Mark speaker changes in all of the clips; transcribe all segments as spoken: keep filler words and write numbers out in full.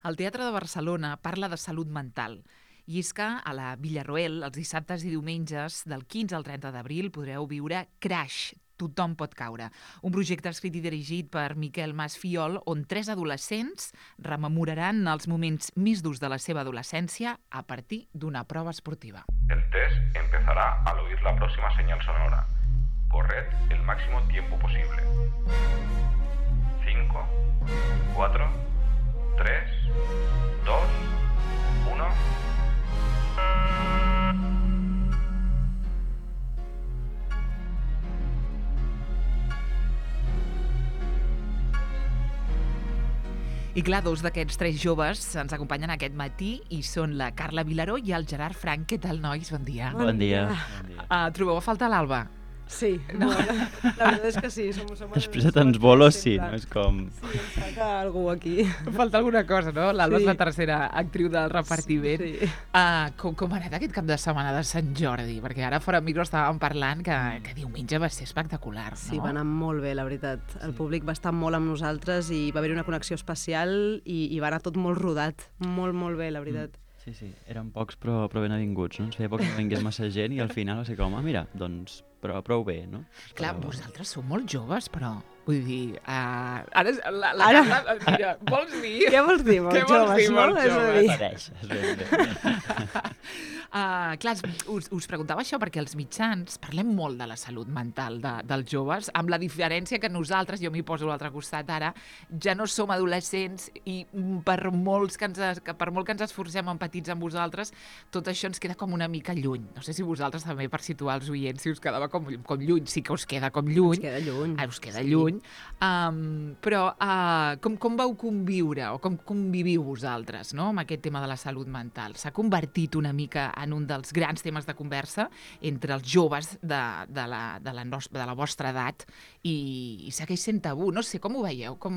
Speaker 1: El Teatre de Barcelona parla de salut mental. I és que a la Villarroel, els dissabtes i diumenges, del quinze al trenta d'abril, podreu viure Crash, Tothom pot caure. Un projecte escrit i dirigit per Miquel Mas Fiol, on tres adolescents rememoraran els moments més durs de la seva adolescència a partir d'una prova esportiva.
Speaker 2: El test empezará al oír la próxima señal sonora. Corred el máximo tiempo posible. cinco, cuatro, tres, dos, uno...
Speaker 1: I clar, dos d'aquests tres joves ens acompanyen aquest matí i són la Carla Vilaró i el Gerard Frank. Què tal, nois? Bon dia.
Speaker 3: Bon dia.
Speaker 1: Uh, trobeu a faltar l'Alba?
Speaker 4: Sí, no, la, la veritat és que sí. Som, som
Speaker 3: Després de tants bolos, sí, no? És com...
Speaker 4: Sí, ens falta algú aquí.
Speaker 1: Falta alguna cosa, no? L'Alba
Speaker 4: Sí.
Speaker 1: és la tercera actriu del repartiment.
Speaker 4: Sí.
Speaker 1: Uh, com, com ha anat aquest cap de setmana de Sant Jordi? Perquè ara fora micro estàvem parlant que, que diumenge va ser espectacular, no?
Speaker 4: Sí, va anar molt bé, la veritat. El públic va estar molt amb nosaltres i va haver una connexió especial i, i va anar tot molt rodat. Molt, molt bé, la veritat.
Speaker 3: Sí, sí, eren pocs però, però ben avinguts, no? Ens feia poc que vingués massa gent i al final va ser com, ah, mira, doncs però prou bé, no?
Speaker 1: Clar,
Speaker 3: Però...
Speaker 1: vosaltres sou molt joves, però... Vull dir, uh, ara és- la, la
Speaker 4: Ara-
Speaker 1: Carla ens dirà, vols dir?
Speaker 4: Què vols dir, molt
Speaker 1: Què vols
Speaker 4: joves,
Speaker 1: dir,
Speaker 4: no?
Speaker 1: molt
Speaker 4: És a
Speaker 1: joves?
Speaker 4: dir,
Speaker 3: Pareix, és ben bé.
Speaker 1: Uh, clar, us, us preguntava això perquè els mitjans parlem molt de la salut mental de, dels joves, amb la diferència que nosaltres, jo m'hi poso a l'altre costat ara, ja no som adolescents i mm, per, molts que ens, es- que per molt que ens esforcem empatits amb vosaltres, tot això ens queda com una mica lluny. No sé si vosaltres també, per situar els oients, si us quedava com, com lluny. Sí que us queda com lluny.
Speaker 4: ens queda lluny.
Speaker 1: Ah, us queda
Speaker 4: Sí.
Speaker 1: lluny. Um, però uh, com, com vau conviure o com conviviu vosaltres, no?, amb aquest tema de la salut mental? S'ha convertit una mica en un dels grans temes de conversa entre els joves de, de, la, de, la, nos, de la vostra edat i, i segueix sent tabú. No sé, com ho veieu? Com,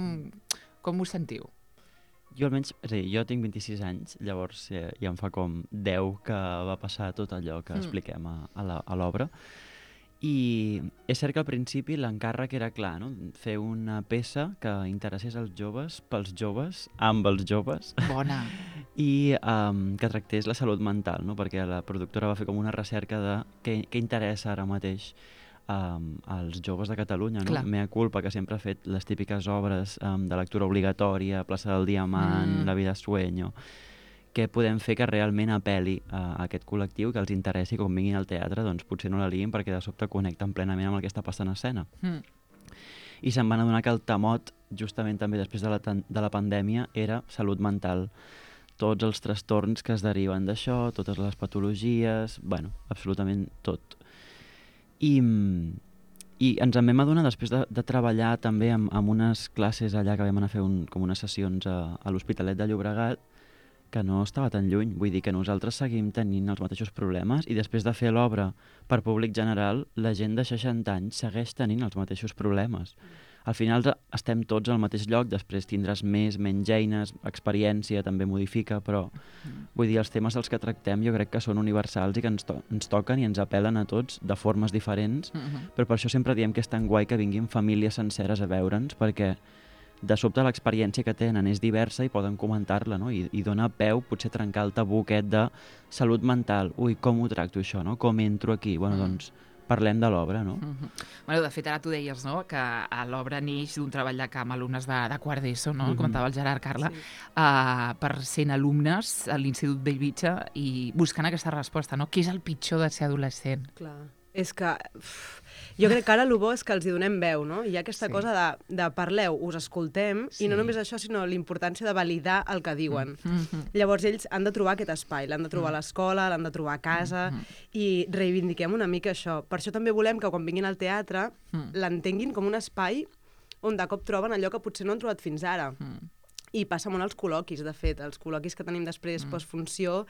Speaker 1: com ho sentiu?
Speaker 3: Jo almenys, és a dir, jo tinc vint-i-sis anys, llavors ja, ja em fa com deu que va passar tot allò que
Speaker 1: Mm.
Speaker 3: expliquem a, a la- a l'obra. I és cert que al principi l'encàrrec era clar, no? Fer una peça que interessés als joves, pels joves, amb els joves,
Speaker 1: Bona.
Speaker 3: i um, que tractés la salut mental, no? Perquè la productora va fer com una recerca de què, què interessa ara mateix um, als joves de Catalunya, no?
Speaker 1: Clar.
Speaker 3: Mea culpa, que sempre ha fet les típiques obres um, de lectura obligatòria, Plaça del Diamant,
Speaker 1: Mm.
Speaker 3: La vida es sueño, què podem fer que realment apel·li a aquest col·lectiu, que els interessi, quan vinguin al teatre, doncs potser no la liguin perquè de sobte connecten plenament amb el que està passant a escena.
Speaker 1: Mm.
Speaker 3: I se'n van adonar que el temot, justament també després de la, tan- de la pandèmia, era salut mental. Tots els trastorns que es deriven d'això, totes les patologies, bueno, absolutament tot. I, mm, i ens en vam adonar després de, de treballar també amb, amb unes classes allà que vam anar a fer un, com unes sessions a, a l'Hospitalet de Llobregat, que no estava tan lluny. Vull dir que nosaltres seguim tenint els mateixos problemes i després de fer l'obra per públic general, la gent de seixanta anys segueix tenint els mateixos problemes. Al final estem tots al mateix lloc, després tindràs més, menys eines, experiència també modifica, però vull dir, els temes dels que tractem jo crec que són universals i que ens, to ens toquen i ens apel·len a tots de formes diferents,
Speaker 1: Mm-hmm.
Speaker 3: però per això sempre diem que és tan guai que vinguin famílies senceres a veure'ns, perquè de sobte l'experiència que tenen és diversa i poden comentar-la, no? I, i dona peu potser a trencar el tabú aquest de salut mental. Ui, com ho tracto això, no? Com entro aquí? Bueno,
Speaker 1: Mm.
Speaker 3: doncs parlem de l'obra, no?
Speaker 1: Mhm. Bueno, de fet, ara tu deies, no?, que a l'obra neix d'un treball de camp alumnes de, de quart d'ESO, no?, el
Speaker 3: Mhm.
Speaker 1: comentava el Gerard, Carla,
Speaker 4: Sí.
Speaker 1: uh, per cent alumnes a l'Institut Bellvitge i buscant aquesta resposta, no? Què és el pitjor de ser adolescent?
Speaker 4: Clar. És que uf, jo crec que ara el bo és que els hi donem veu, no? Hi ha aquesta
Speaker 1: Sí.
Speaker 4: cosa de, de parleu, us escoltem,
Speaker 1: Sí.
Speaker 4: i no només això, sinó l'importància de validar el que diuen.
Speaker 1: Mhm.
Speaker 4: Llavors ells han de trobar aquest espai, l'han de trobar a l'escola, l'han de trobar a casa, i reivindiquem una mica això. Per això també volem que quan vinguin al teatre
Speaker 1: Mm.
Speaker 4: l'entenguin com un espai on de cop troben allò que potser no han trobat fins ara.
Speaker 1: Mm.
Speaker 4: I passa molt als col·loquis, de fet. Els col·loquis que tenim després postfunció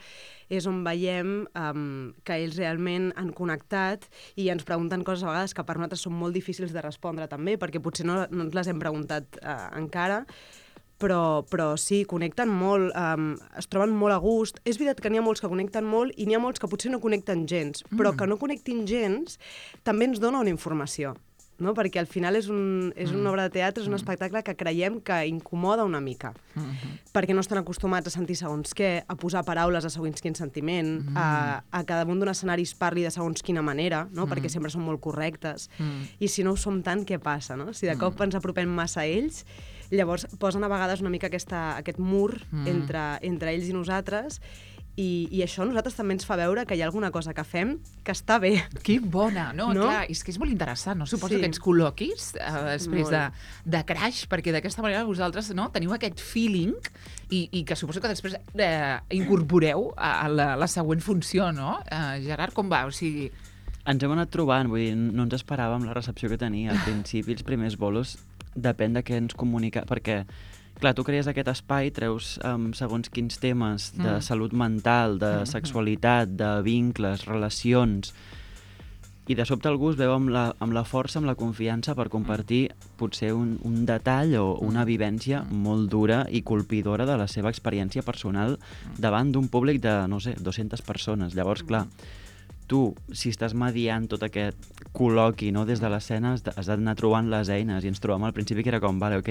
Speaker 4: és on veiem um, que ells realment han connectat i ens pregunten coses a vegades que per nosaltres són molt difícils de respondre també, perquè potser no, no ens les hem preguntat uh, encara, però, però sí, connecten molt, um, es troben molt a gust. És veritat que n'hi ha molts que connecten molt i n'hi ha molts que potser no connecten gens, però
Speaker 1: Mm.
Speaker 4: que no connectin gens també ens dona una informació. no? Perquè al final és, un, és una obra de teatre, és un espectacle que creiem que incomoda una mica,
Speaker 1: Mm-hmm.
Speaker 4: perquè no estan acostumats a sentir segons què, a posar paraules a segons quin sentiment,
Speaker 1: Mm.
Speaker 4: a, a que damunt d'un escenari es parli de segons quina manera, no? Perquè sempre són molt correctes,
Speaker 1: Mm.
Speaker 4: i si no ho som tant, què passa? No? Si de cop ens apropem massa a ells, llavors posen a vegades una mica aquesta, aquest mur
Speaker 1: Mm.
Speaker 4: entre, entre ells i nosaltres, i, i això a nosaltres també ens fa veure que hi ha alguna cosa que fem que està bé.
Speaker 1: Que bona, no?
Speaker 4: No?
Speaker 1: Clar, és que és molt interessant, no? Suposo
Speaker 4: Sí.
Speaker 1: que ens col·loquis eh, després de,
Speaker 4: Molt.
Speaker 1: de Crash, perquè d'aquesta manera vosaltres no, teniu aquest feeling i, i que suposo que després eh, incorporeu a, a la, la següent funció, no? Eh, Gerard, com va? O sigui...
Speaker 3: Ens hem anat trobant, vull dir, no ens esperàvem la recepció que tenia. Al principi, els primers bolos, depèn de què ens comunica, perquè, clar, tu crees aquest espai, treus um, segons quins temes de
Speaker 1: Mm.
Speaker 3: salut mental, de
Speaker 1: Mm.
Speaker 3: sexualitat, de vincles, relacions, i de sobte algú es veu amb la, amb la força, amb la confiança per compartir potser un, un detall o una vivència molt dura i colpidora de la seva experiència personal davant d'un públic de, no sé, dues-centes persones. Llavors, clar, tu, si estàs mediant tot aquest col·loqui, no, des de l'escena, has de- has d'anar trobant les eines, i ens trobam al principi que era com, vale, ok,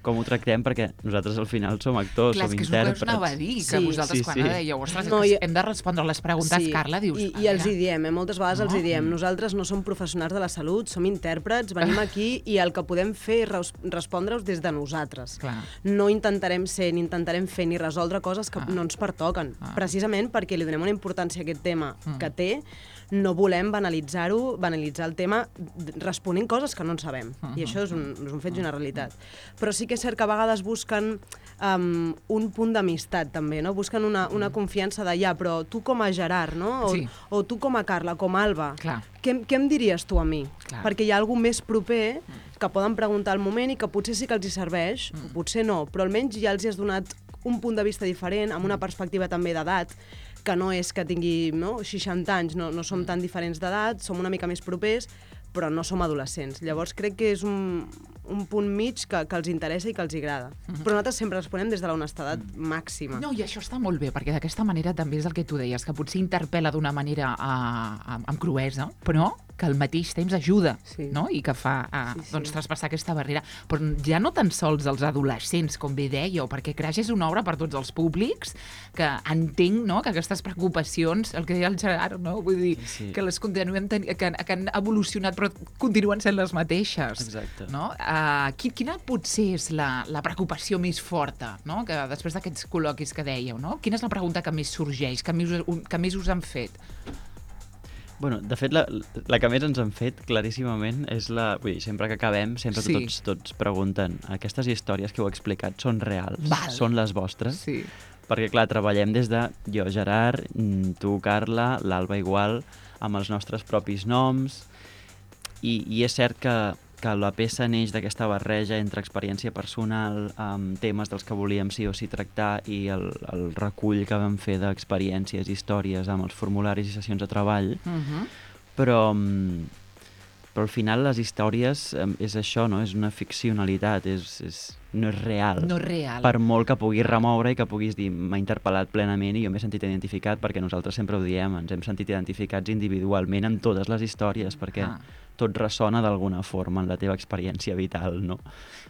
Speaker 3: com ho tractem, perquè nosaltres al final som actors,
Speaker 1: Clar,
Speaker 3: som
Speaker 1: és que és el que us
Speaker 3: intèrprets.
Speaker 1: anava a dir, que
Speaker 4: Sí,
Speaker 1: vosaltres
Speaker 3: sí,
Speaker 1: quan
Speaker 3: sí.
Speaker 1: ara dèieu, ostres,
Speaker 4: No,
Speaker 1: que
Speaker 4: i-
Speaker 1: hem de respondre les preguntes, Carla, dius...
Speaker 4: I,
Speaker 1: a
Speaker 4: i els
Speaker 1: veure,
Speaker 4: hi diem, eh? Moltes vegades
Speaker 1: No?
Speaker 4: els hi diem,
Speaker 1: Mm.
Speaker 4: nosaltres no som professionals de la salut, som intèrprets, venim aquí i el que podem fer és res respondre-us des de nosaltres.
Speaker 1: Clar.
Speaker 4: No intentarem ser, ni intentarem fer, ni resoldre coses que
Speaker 1: Ah.
Speaker 4: no ens pertoquen.
Speaker 1: Ah.
Speaker 4: Precisament perquè li donem una importància a aquest tema
Speaker 1: Mm.
Speaker 4: que té, no volem banalitzar-ho, banalitzar el tema d- responent coses que no en sabem.
Speaker 1: Mm-hmm.
Speaker 4: I això és un, és un fet i una realitat. Però sí que és cert que a vegades busquen um, un punt d'amistat, també, no? Busquen una, una confiança de, ja, però tu com a Gerard, no? O,
Speaker 1: Sí.
Speaker 4: o tu com a Carla, com a Alba,
Speaker 1: Clar.
Speaker 4: què, què em diries tu a mi?
Speaker 1: Clar.
Speaker 4: Perquè hi ha algú més proper que poden preguntar al moment i que potser sí que els hi serveix,
Speaker 1: Mm.
Speaker 4: potser no, però almenys ja els hi has donat un punt de vista diferent, amb una perspectiva també d'edat, que no és que tingui no, seixanta anys, no, no som tan diferents d'edat, som una mica més propers, però no som adolescents. Llavors crec que és un, un punt mig que, que els interessa i que els agrada. Però nosaltres sempre responem des de la honestedat màxima.
Speaker 1: No, i això està molt bé, perquè d'aquesta manera també és el que tu deies, que potser interpel·la d'una manera uh, amb, amb cruesa, però que al mateix temps ajuda,
Speaker 4: Sí.
Speaker 1: no? I que fa uh,
Speaker 4: Sí, sí.
Speaker 1: doncs, traspassar aquesta barrera. Però ja no tan sols els adolescents, com bé dèieu, perquè Crash és una obra per tots els públics, que entenc no? que aquestes preocupacions, el que deia el Gerard, no? Vull dir,
Speaker 3: Sí.
Speaker 1: que les continuem ten que, que han evolucionat però continuen sent les mateixes.
Speaker 3: Exacte.
Speaker 1: No? Uh, quina potser és la, la preocupació més forta, no? Que després d'aquests col·loquis que dèieu, no? Quina és la pregunta que més sorgeix, que més, us- que més us han fet?
Speaker 3: Bueno, de fet, la, la que més ens han fet, claríssimament, és la... Vull dir, sempre que acabem, sempre
Speaker 1: Sí.
Speaker 3: tots, tots pregunten aquestes històries que heu explicat són reals?
Speaker 1: Val.
Speaker 3: Són les vostres?
Speaker 1: Sí.
Speaker 3: Perquè, clar, treballem des de jo, Gerard, mm, tu, Carla, l'Alba igual, amb els nostres propis noms, i, i és cert que, que la peça neix d'aquesta barreja entre experiència personal, amb temes dels que volíem sí o sí tractar, i el, el recull que vam fer d'experiències, històries, amb els formularis i sessions de treball,
Speaker 1: Uh -huh.
Speaker 3: però, mm, però al final les històries em, és això, no? És una ficcionalitat, és, és, no és real.
Speaker 1: No és real.
Speaker 3: Per molt que puguis remoure i que puguis dir m'ha interpel·lat plenament i jo m'he sentit identificat, perquè nosaltres sempre ho diem, ens hem sentit identificats individualment en totes les històries, perquè
Speaker 1: Ah.
Speaker 3: tot ressona d'alguna forma en la teva experiència vital, no?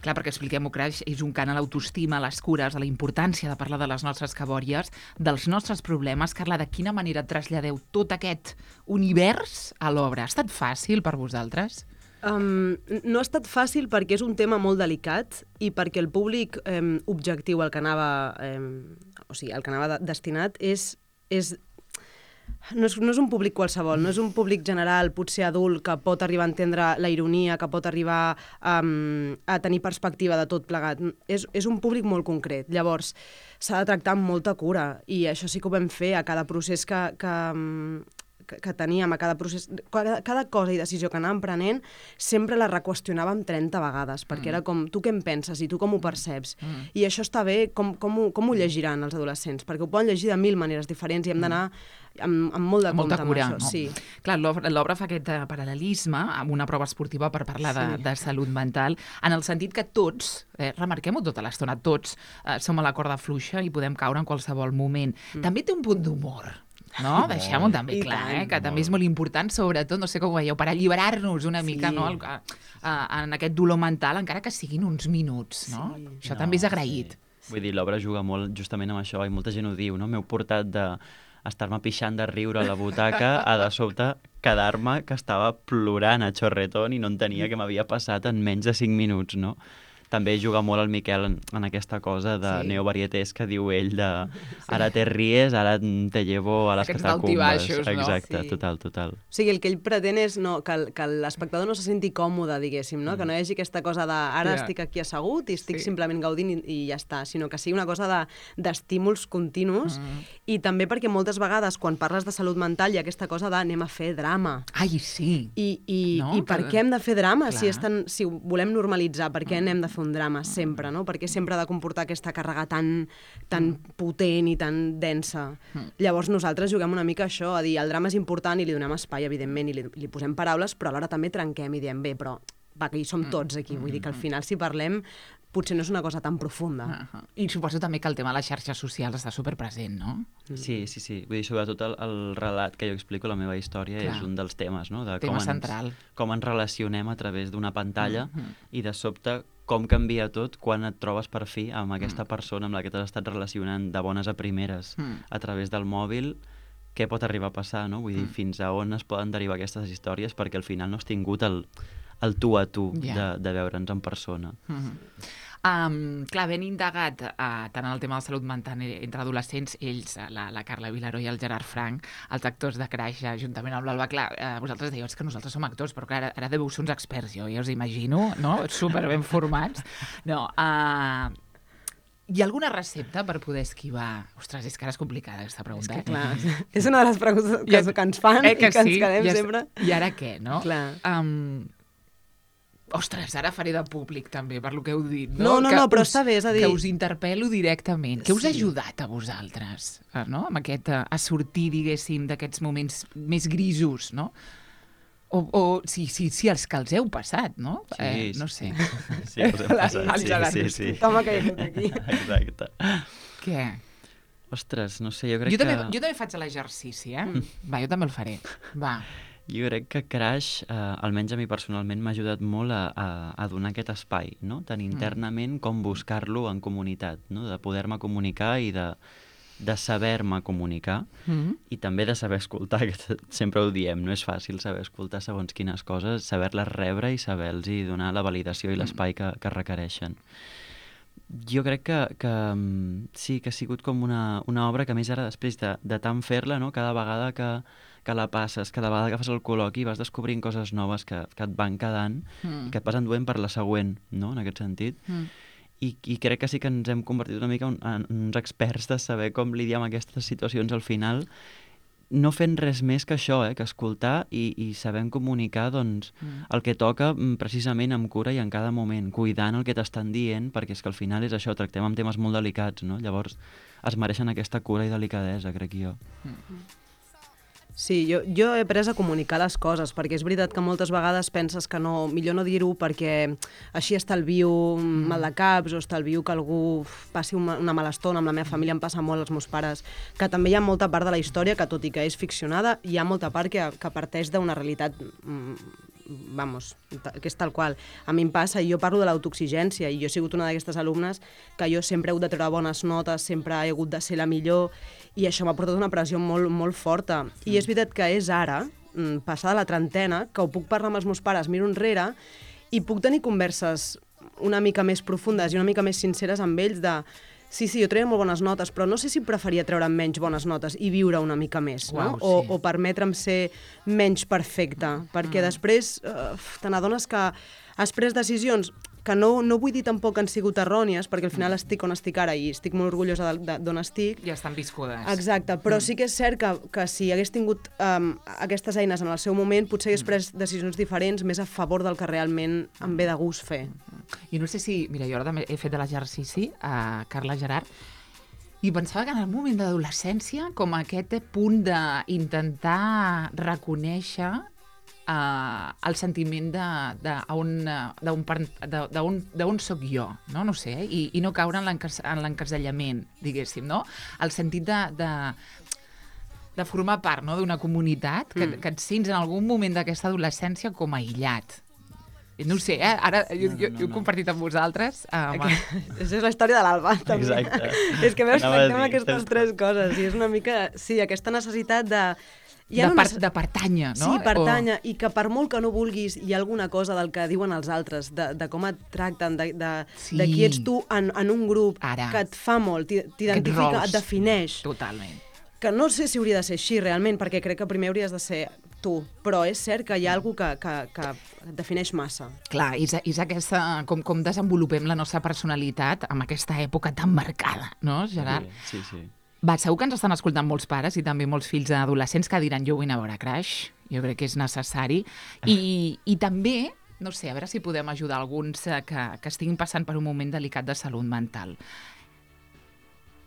Speaker 1: Clar, perquè expliquem-ho, Crash és un cant a l'autoestima, a les cures, a la importància de parlar de les nostres cabòries, dels nostres problemes. Carla, de quina manera traslladeu tot aquest univers a l'obra? Ha estat fàcil per vosaltres?
Speaker 4: Um, no ha estat fàcil perquè és un tema molt delicat i perquè el públic um, objectiu al que anava, um, o sigui, al que anava de destinat és, és no és, no és un públic qualsevol, no és un públic general, potser adult, que pot arribar a entendre la ironia, que pot arribar um, a tenir perspectiva de tot plegat. És, és un públic molt concret. Llavors, s'ha de tractar amb molta cura i això sí que ho vam fer a cada procés que, que, um, que, que teníem, a cada procés... Cada, cada cosa i decisió que anàvem prenent sempre la reqüestionàvem trenta vegades, perquè era com, tu què en penses i tu com ho perceps?
Speaker 1: Mm.
Speaker 4: I això està bé, com, com, ho, com ho llegiran els adolescents? Perquè ho poden llegir de mil maneres diferents i hem d'anar amb, amb molt de
Speaker 1: Amb molta
Speaker 4: compte
Speaker 1: cura,
Speaker 4: amb això.
Speaker 1: no?
Speaker 4: Sí.
Speaker 1: Clar, l'obra l'obra fa aquest eh, paral·lelisme amb una prova esportiva per parlar de,
Speaker 4: Sí.
Speaker 1: de salut mental, en el sentit que tots, eh, remarquem-ho tota l'estona, tots eh, som a la corda fluixa i podem caure en qualsevol moment. Mm. També té un punt d'humor. no? Deixem-ho també
Speaker 4: I
Speaker 1: clar,
Speaker 4: tant.
Speaker 1: eh? Que també és molt important, sobretot, no sé com ho veieu, per alliberar-nos una mica,
Speaker 4: Sí.
Speaker 1: no? El, a, a, en aquest dolor mental, encara que siguin uns minuts, no?
Speaker 4: Sí.
Speaker 1: Això també és agraït.
Speaker 3: Sí. Vull dir, l'obra juga molt justament amb això, i molta gent ho diu, no? M'heu portat de estar-me pixant de riure a la butaca a de sobte quedar-me que estava plorant a xorretón i no entenia què m'havia passat en menys de cinc minuts, no? També juga molt el Miquel en, en aquesta cosa de
Speaker 1: Sí.
Speaker 3: neovarietés que diu ell de ara te ries, ara te llevo a les
Speaker 1: Aquests
Speaker 3: catacumbes.
Speaker 1: daltibaixos, no?
Speaker 3: Exacte,
Speaker 4: Sí.
Speaker 3: total, total.
Speaker 4: O sigui, el que ell pretén és no, que, el- que l'espectador no se senti còmode, diguéssim, no? Mm. Que no hi hagi aquesta cosa de ara
Speaker 1: Ja.
Speaker 4: estic aquí assegut i estic
Speaker 1: Sí.
Speaker 4: simplement gaudint i, i ja està, sinó que sigui una cosa de- d'estímuls continus mm. i també perquè moltes vegades quan parles de salut mental hi ha aquesta cosa de anem a fer drama.
Speaker 1: Ai, sí.
Speaker 4: I, i,
Speaker 1: No?
Speaker 4: i per
Speaker 1: Que-
Speaker 4: què hem de fer drama si,
Speaker 1: Clar.
Speaker 4: és tan, si ho volem normalitzar? Per què n'hem de fer un drama sempre? No? Per què sempre ha de comportar aquesta càrrega tan, tan potent i tan densa? Llavors nosaltres juguem una mica a això, a dir el drama és important i li donem espai, evidentment, i li, li posem paraules, però alhora també trenquem i diem, bé, però va, que hi som tots aquí. Vull dir que al final si parlem potser no és una cosa tan profunda.
Speaker 1: Uh -huh. I suposo també que el tema de les xarxes socials està superpresent, no?
Speaker 3: Sí, sí, sí. Vull dir, sobretot el, el relat que jo explico, la meva història,
Speaker 1: Clar.
Speaker 3: és un dels temes, no? De
Speaker 1: Tema
Speaker 3: com ens,
Speaker 1: central.
Speaker 3: com ens relacionem a través d'una pantalla
Speaker 1: Mhm.
Speaker 3: i de sobte com canvia tot quan et trobes per fi amb aquesta persona amb la que t'has estat relacionant de bones a primeres
Speaker 1: Mm.
Speaker 3: a través del mòbil. Què pot arribar a passar, no? Vull dir, fins a on es poden derivar aquestes històries perquè al final no has tingut el, el tu a tu
Speaker 1: Ja.
Speaker 3: de, de veure'ns en persona.
Speaker 1: Mm -hmm. Um, clar, ben indagat uh, tant en el tema de salut mental entre adolescents, ells, la, la Carla Vilaró i el Gerard Frank, els actors de Crash, juntament amb l'Alba, clar, uh, vosaltres dèieu que nosaltres som actors, però clar, ara, ara deveu ser uns experts, jo ja us imagino, no? Super ben formats. No, uh, hi ha alguna recepta per poder esquivar? Ostres, és que ara és complicada aquesta pregunta.
Speaker 4: És que,
Speaker 1: eh?
Speaker 4: clar, és una de les preguntes que,
Speaker 1: I-
Speaker 4: que ens fan
Speaker 1: eh,
Speaker 4: i que
Speaker 1: sí?
Speaker 4: ens quedem
Speaker 1: I és-
Speaker 4: sempre...
Speaker 1: I ara què, no?
Speaker 4: Clar.
Speaker 1: Um, ostres, ara faré de públic també, per lo que heu dit. No,
Speaker 4: No, no,
Speaker 1: que
Speaker 4: no, però
Speaker 1: us,
Speaker 4: està bé, és a dir-
Speaker 1: Que us interpel·lo directament. Què us ha
Speaker 4: Sí.
Speaker 1: ajudat a vosaltres, eh, no? Amb aquest, eh, a sortir, diguéssim, d'aquests moments més grisos, no? O, o sí, sí, sí, els que els heu passat, no?
Speaker 3: Sí,
Speaker 1: eh,
Speaker 3: sí.
Speaker 1: no sé.
Speaker 3: Sí, us hem passat,
Speaker 1: El
Speaker 3: sí,
Speaker 1: Gerard,
Speaker 3: sí, sí.
Speaker 4: Toma que hi ha aquí.
Speaker 3: Exacte.
Speaker 1: Què?
Speaker 3: Ostres, no sé, jo crec
Speaker 1: Jo
Speaker 3: que...
Speaker 1: també, jo també faig l'exercici, eh? Va, jo també el faré. Va.
Speaker 3: Jo crec que Crash, eh, almenys a mi personalment, m'ha ajudat molt a, a, a donar aquest espai, no? Tant internament com buscar-lo en comunitat, no? De poder-me comunicar i de, de saber-me comunicar
Speaker 1: Mm.
Speaker 3: i també de saber escoltar, que t- sempre ho diem, no és fàcil saber escoltar segons quines coses, saber-les rebre i saber-los donar la validació i l'espai que, que requereixen. Jo crec que, que mm, sí, que ha sigut com una, una obra que a més ara després de, de tant fer-la, no? Cada vegada que, que la passes, cada vegada que fas el col·loqui vas descobrint coses noves que, que et van quedant
Speaker 1: Mm.
Speaker 3: i que et vas enduent per la següent, no? En aquest sentit.
Speaker 1: Mm.
Speaker 3: I, I crec que sí que ens hem convertit una mica en, en uns experts de saber com lidiar amb aquestes situacions al final, no fent res més que això, eh? Que escoltar i, i sabent comunicar doncs,
Speaker 1: Mm.
Speaker 3: el que toca mm, precisament amb cura i en cada moment, cuidant el que t'estan dient, perquè és que al final és això, tractem amb temes molt delicats, no? Llavors es mereixen aquesta cura i delicadesa, crec jo.
Speaker 4: Sí, jo, jo he après a comunicar les coses, perquè és veritat que moltes vegades penses que no, millor no dir-ho perquè així estalvio mm. mal de caps o estalvio que algú passi una, una mala estona. Amb la meva família em passa molt, els meus pares, que també hi ha molta part de la història que, tot i que és ficcionada, hi ha molta part que, que parteix d'una realitat mm, vamos, que és tal qual. A mi em passa, i jo parlo de l'autoexigència, i jo he sigut una d'aquestes alumnes que jo sempre he hagut de treure bones notes, sempre he hagut de ser la millor, i això m'ha portat una pressió molt, molt forta. I és veritat que és ara, mm, passada la trentena, que ho puc parlar amb els meus pares, miro enrere, i puc tenir converses una mica més profundes i una mica més sinceres amb ells de sí, sí, jo treia molt bones notes, però no sé si preferia treure menys bones notes i viure una mica més,
Speaker 1: Uau,
Speaker 4: no? O,
Speaker 1: sí.
Speaker 4: o permetre'm ser menys perfecte, perquè després eh, te n'adones que has pres decisions que no, no vull dir tampoc que han sigut errònies, perquè al final estic on estic ara i estic molt orgullosa de- de- d'on estic.
Speaker 1: Ja estan viscudes.
Speaker 4: Exacte, però sí que és cert que, que si hagués tingut um, aquestes eines en el seu moment, potser hagués pres decisions diferents més a favor del que realment em ve de gust fer.
Speaker 1: I no sé si... Mira, jo ara també he fet de l'exercici a Carla Gerard i pensava que en el moment d'adolescència, com aquest punt d'intentar reconèixer uh, el sentiment de, de, a on, de, on, de, de, on, de on soc jo, no, no sé, i, i no caure en l'encas- en l'encasellament, diguéssim, no? El sentit de, de de formar part, no?, d'una comunitat, que, mm. que et sents en algun moment d'aquesta adolescència com aïllat. No ho sé, eh? Ara jo,
Speaker 3: no, no,
Speaker 1: jo,
Speaker 3: no,
Speaker 1: jo he
Speaker 3: no.
Speaker 1: compartit amb vosaltres. Uh,
Speaker 4: Això és la història de l'Alba, també.
Speaker 3: Exacte.
Speaker 4: És que veus,
Speaker 3: Anava a
Speaker 4: tractem
Speaker 3: dir,
Speaker 4: aquestes
Speaker 3: estem-
Speaker 4: tres coses, i és una mica, sí, aquesta necessitat de...
Speaker 1: de,
Speaker 4: no
Speaker 1: per,
Speaker 4: necess-
Speaker 1: de pertànyer, no?
Speaker 4: Sí, pertànyer, i que per molt que no vulguis, hi ha alguna cosa del que diuen els altres, de, de com et tracten, de, de,
Speaker 1: Sí.
Speaker 4: de qui ets tu en, en un grup,
Speaker 1: Ara.
Speaker 4: que et fa molt, t'i-
Speaker 1: Aquests
Speaker 4: t'identifica,
Speaker 1: rols.
Speaker 4: et defineix.
Speaker 1: Totalment.
Speaker 4: Que no sé si hauria de ser així, realment, perquè crec que primer hauries de ser tu, però és cert que hi ha algú que, que, que et defineix massa.
Speaker 1: Clar, és, és aquesta, com, com desenvolupem la nostra personalitat amb aquesta època tan marcada, no, Gerard?
Speaker 3: Sí, sí.
Speaker 1: Va, segur que ens estan escoltant molts pares i també molts fills adolescents que diran jo vull anar a veure Crash, jo crec que és necessari. I, i també, no sé, a veure si podem ajudar alguns eh, que, que estiguin passant per un moment delicat de salut mental.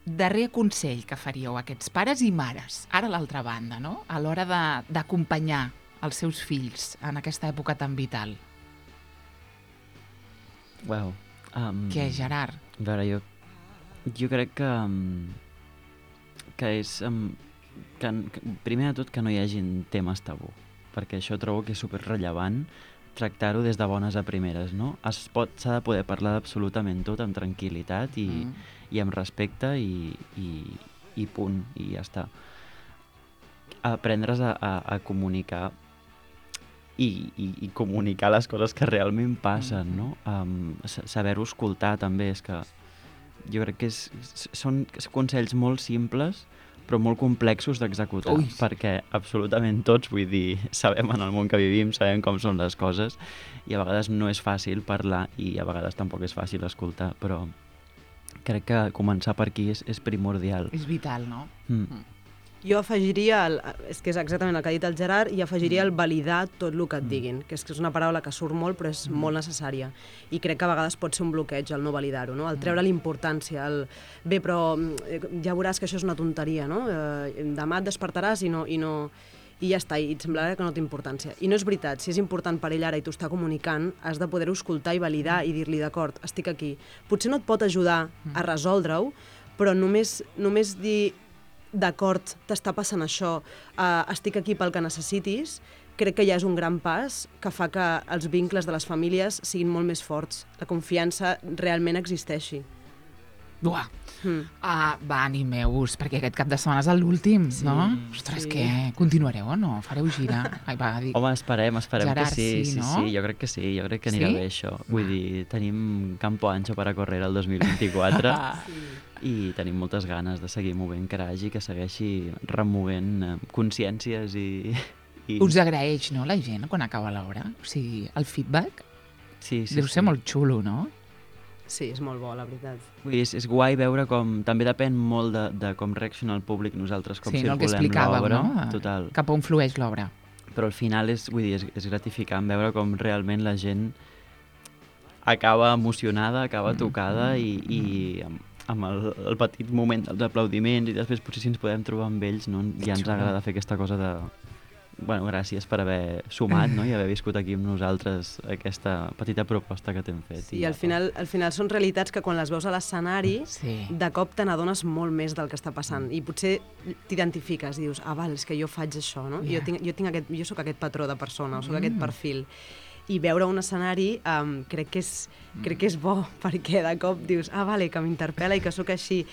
Speaker 1: Darrer consell que faríeu a aquests pares i mares, ara a l'altra banda, no?, a l'hora de- d'acompanyar els seus fills en aquesta època tan vital.
Speaker 3: Wow. Um,
Speaker 1: Què, Gerard?
Speaker 3: A veure, jo, jo crec que, um, que és... Um, que, que, primer de tot, que no hi hagin temes tabú, perquè això trobo que és superrellevant tractar-ho des de bones a primeres, no? Es pot, s'ha de poder parlar d'absolutament tot amb tranquil·litat i,
Speaker 1: Mm.
Speaker 3: i amb respecte i, i, i punt, i ja està. Aprendre's a, a, a comunicar i, i, i comunicar les coses que realment passen, no? Um, sa- saber-ho escoltar també, és que jo crec que és, s- són consells molt simples però molt complexos d'executar,
Speaker 1: Ui.
Speaker 3: perquè absolutament tots, vull dir, sabem en el món que vivim, sabem com són les coses, i a vegades no és fàcil parlar i a vegades tampoc és fàcil escoltar, però crec que començar per aquí és, és primordial.
Speaker 1: És vital, no?
Speaker 3: Mm.
Speaker 4: Jo afegiria, el, és que és exactament el que ha dit el Gerard, i afegiria el validar tot el que et diguin, que és que és una paraula que surt molt però és molt necessària. I crec que a vegades pot ser un bloqueig el no validar-ho, no? El treure l'importància, el bé, però eh, ja veuràs que això és una tonteria, no? Eh, demà et despertaràs i no... I no i ja està, i et semblarà que no té importància. I no és veritat, si és important per ell ara i t'ho està comunicant, has de poder-ho escoltar i validar i dir-li, d'acord, estic aquí. Potser no et pot ajudar a resoldre-ho, però només, només dir, d'acord, t'està passant això, uh, estic aquí pel que necessitis, crec que ja és un gran pas que fa que els vincles de les famílies siguin molt més forts, la confiança realment existeixi.
Speaker 1: Buah.
Speaker 4: Mm.
Speaker 1: Ah, va, animeu-vos, perquè aquest cap de setmana és l'últim, sí, no? Ostres,
Speaker 4: sí.
Speaker 1: què? Continuareu o no? Fareu gira? Ai, va, dic...
Speaker 3: Home, esperem, esperem
Speaker 1: Gerard,
Speaker 3: que sí,
Speaker 1: sí,
Speaker 3: sí,
Speaker 1: no?
Speaker 3: sí, jo crec que sí, jo crec que anirà
Speaker 1: Sí?
Speaker 3: bé això. Vull dir, tenim campo ancho per a correr el dos mil vint-i-quatre i tenim moltes ganes de seguir movent Crash i que segueixi removent eh, consciències i... i...
Speaker 1: Us agraeix, no, la gent, quan acaba l'hora? O sigui, el feedback
Speaker 3: sí, sí,
Speaker 1: deu
Speaker 3: sí.
Speaker 1: ser molt xulo, no?
Speaker 4: Sí, és molt bo, la veritat.
Speaker 3: Vull dir, és, és guai veure com... També depèn molt de, de com reacciona el públic, nosaltres com
Speaker 1: Sí, no, el que
Speaker 3: circulem
Speaker 1: explicàveu,
Speaker 3: l'obra.
Speaker 1: no?
Speaker 3: Total.
Speaker 1: Cap on flueix l'obra.
Speaker 3: Però al final és, vull dir, és, és gratificant veure com realment la gent acaba emocionada, acaba tocada i, i amb, amb el, el petit moment dels aplaudiments i després potser si ens podem trobar amb ells, no? Ja ens
Speaker 1: Xulo.
Speaker 3: agrada fer aquesta cosa de... Bueno, gràcies per haver sumat, no? I haver viscut aquí amb nosaltres aquesta petita proposta que t'hem fet.
Speaker 4: I al final, al final són realitats que quan les veus a l'escenari,
Speaker 1: Sí.
Speaker 4: de cop te n'adones molt més del que està passant i potser t'identifiques, dius, ah, val, és que jo faig això, no?
Speaker 1: Ja.
Speaker 4: Jo, tinc, jo, tinc aquest, jo sóc aquest patró de persona, o sóc aquest perfil. I veure un escenari um, crec, que és, crec que és bo, perquè de cop dius, ah, vale, que m'interpel·la i que sóc així.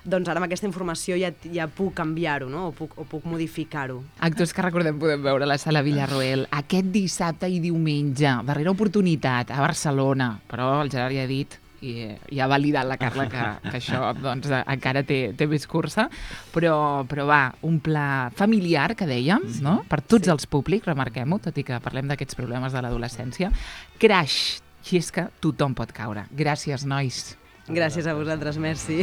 Speaker 4: Doncs ara amb aquesta informació ja, ja puc canviar-ho, no? O puc, o puc modificar-ho.
Speaker 1: Actors que recordem podem veure a la Sala Villarroel aquest dissabte i diumenge, darrera oportunitat, a Barcelona. Però el Gerard ja ha dit i, i ha validat la Carla que, que això doncs, encara té, té més cursa, però, però va, un pla familiar, que dèiem, no? Per tots sí. els públics, remarquem-ho, tot i que parlem d'aquests problemes de l'adolescència. Crash, si és que tothom pot caure. Gràcies, nois.
Speaker 4: Gràcies a vosaltres, merci.